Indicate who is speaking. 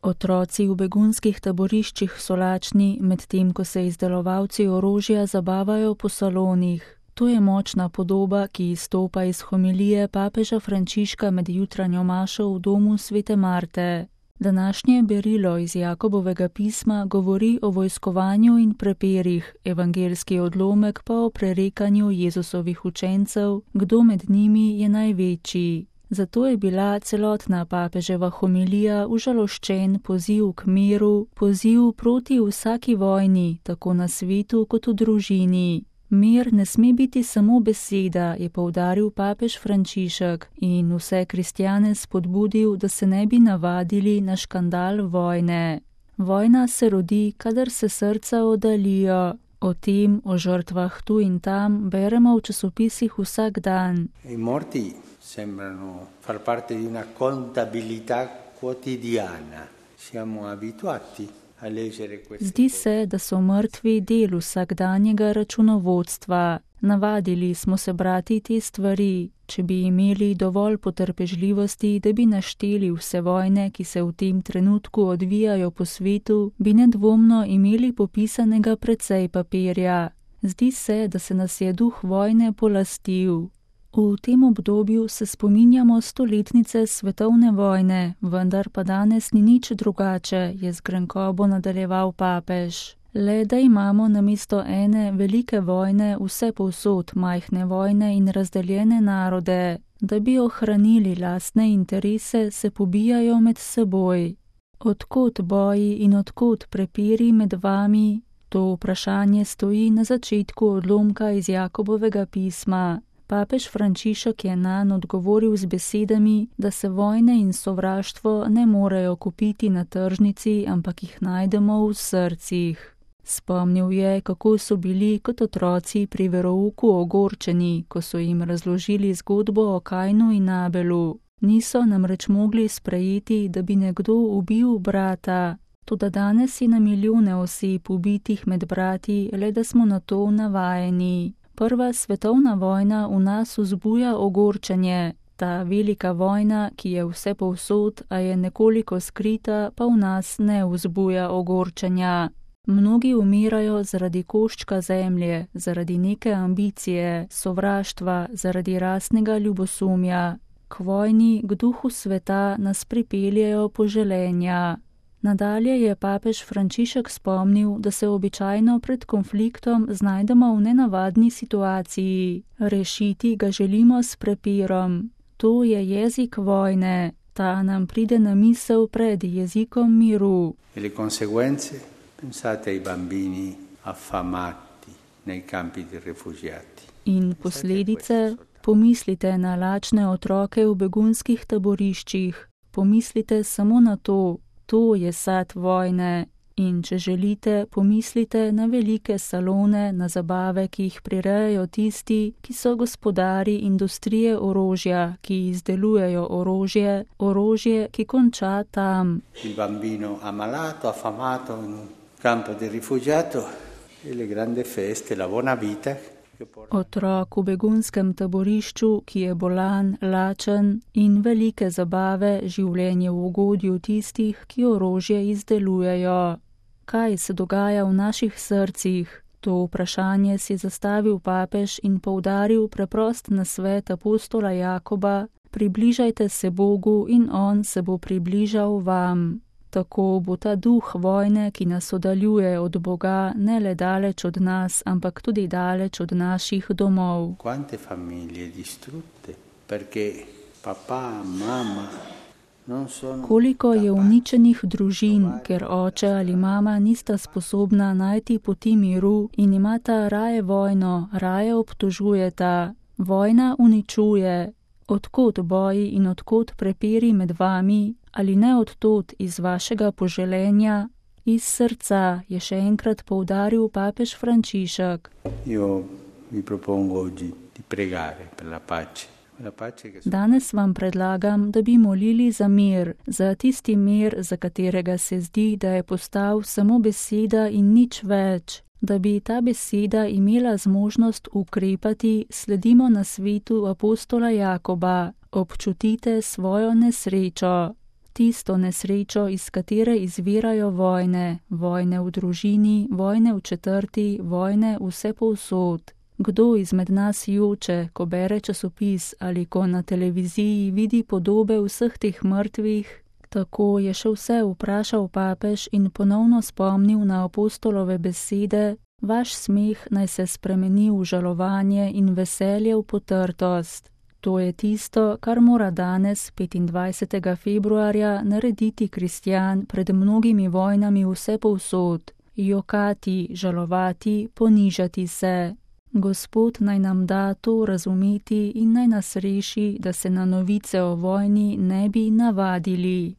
Speaker 1: Otroci v begunskih taboriščih so lačni, medtem ko se izdelovalci orožja zabavajo po salonih. To je močna podoba, ki izstopa iz homilije papeža Frančiška med jutranjo mašo v domu svete Marte. Današnje berilo iz Jakobovega pisma govori o vojskovanju in prepirih, evangeljski odlomek pa o prerekanju Jezusovih učencev, kdo med njimi je največji. Zato je bila celotna papeževa homilija užaloščen poziv k miru, poziv proti vsaki vojni, tako na svetu kot v družini. Mir ne sme biti samo beseda, je poudaril papež Frančišek in vse kristjane spodbudil, da se ne bi navadili na škandal vojne. Vojna se rodi, kadar se srca oddaljijo. O tem, o žrtvah tu in tam, beremo v časopisih vsak dan.
Speaker 2: I morti sembrano far parte di una contabilità quotidiana. Siamo abituati.
Speaker 1: Zdi se, da so mrtvi del vsakdanjega računovodstva. Navadili smo se brati te stvari. Če bi imeli dovolj potrpežljivosti, da bi našteli vse vojne, ki se v tem trenutku odvijajo po svetu, bi nedvomno imeli popisanega precej papirja. Zdi se, da se nas je duh vojne polastil. V tem obdobju se spominjamo stoletnice svetovne vojne, vendar pa danes ni nič drugače, je z grenkobo nadaljeval papež. Le da imamo namesto ene velike vojne vse povsod majhne vojne in razdeljene narode. Da bi ohranili lastne interese, se pobijajo med seboj. Odkot boji in odkot prepiri med vami? To vprašanje stoji na začetku odlomka iz Jakobovega pisma. Papež Frančišek je nanj odgovoril z besedami, da se vojne in sovraštvo ne morejo kupiti na tržnici, ampak jih najdemo v srcih. Spomnil je, kako so bili kot otroci pri verouku ogorčeni, ko so jim razložili zgodbo o Kainu in Abelu. Niso namreč mogli sprejeti, da bi nekdo ubil brata. Toda danes je na milijone oseb ubitih med brati, le da smo na to navajeni. Prva svetovna vojna v nas vzbuja ogorčenje. Ta velika vojna, ki je vse povsod, a je nekoliko skrita, pa v nas ne vzbuja ogorčenja. Mnogi umirajo zaradi koščka zemlje, zaradi neke ambicije, sovraštva, zaradi rasnega ljubosumja. K vojni, k duhu sveta nas pripeljejo poželenja. Nadalje je papež Frančišek spomnil, da se običajno pred konfliktom znajdemo v nenavadni situaciji. Rešiti ga želimo s prepirom. To je jezik vojne. Ta nam pride na misel pred jezikom miru.
Speaker 2: Le conseguenze? Pensate ai bambini affamati nei campi di rifugiati.
Speaker 1: In posledice? Pomislite na lačne otroke v begunskih taboriščih. Pomislite samo na to. To je sad vojne. In če želite, pomislite na velike salone, na zabave, ki jih prirejajo tisti, ki so gospodari industrije orožja, ki izdelujejo orožje, ki konča tam.
Speaker 2: Il bambino ammalato, affamato in un campo di rifugiato e le grandi feste, la buona vita.
Speaker 1: Otrok v begunskem taborišču, ki je bolan, lačen, in velike zabave, življenje v ugodju tistih, ki orožje izdelujejo. Kaj se dogaja v naših srcih? To vprašanje si zastavil papež in poudaril preprost nasvet apostola Jakoba: približajte se Bogu in on se bo približal vam. Tako bo ta duh vojne, ki nas oddaljuje od Boga, ne le daleč od nas, ampak tudi daleč od naših domov.
Speaker 2: Quante famiglie distrutte, perché papà, mamma non sono.
Speaker 1: Koliko je uničenih družin, ker oče ali mama nista sposobna najti poti miru in imata raje vojno, raje obtožujeta. Vojna uničuje. Odkot boji in odkot prepiri med vami, ali ne odtot iz vašega poželenja, iz srca, je še enkrat poudaril papež Frančišek.
Speaker 2: Io vi propongo oggi di pregare per la pace.
Speaker 1: Danes vam predlagam, da bi molili za mir, za tisti mir, za katerega se zdi, da je postal samo beseda in nič več. Da bi ta beseda imela zmožnost ukrepati, sledimo nasvetu apostola Jakoba: občutite svojo nesrečo. tisto nesrečo, iz katere izvirajo vojne, vojne v družini, vojne v četrti, vojne vsepovsod. Kdo izmed nas joče, ko bere časopis ali ko na televiziji vidi podobe vseh teh mrtvih? Tako je še vse vprašal papež in ponovno spomnil na apostolove besede: vaš smeh naj se spremeni v žalovanje in veselje v potrtost. To je tisto, kar mora danes, 25. februarja, narediti kristjan pred mnogimi vojnami vsepovsod. Jokati, žalovati, ponižati se. Gospod naj nam da to razumeti in naj nas reši, da se na novice o vojni ne bi navadili.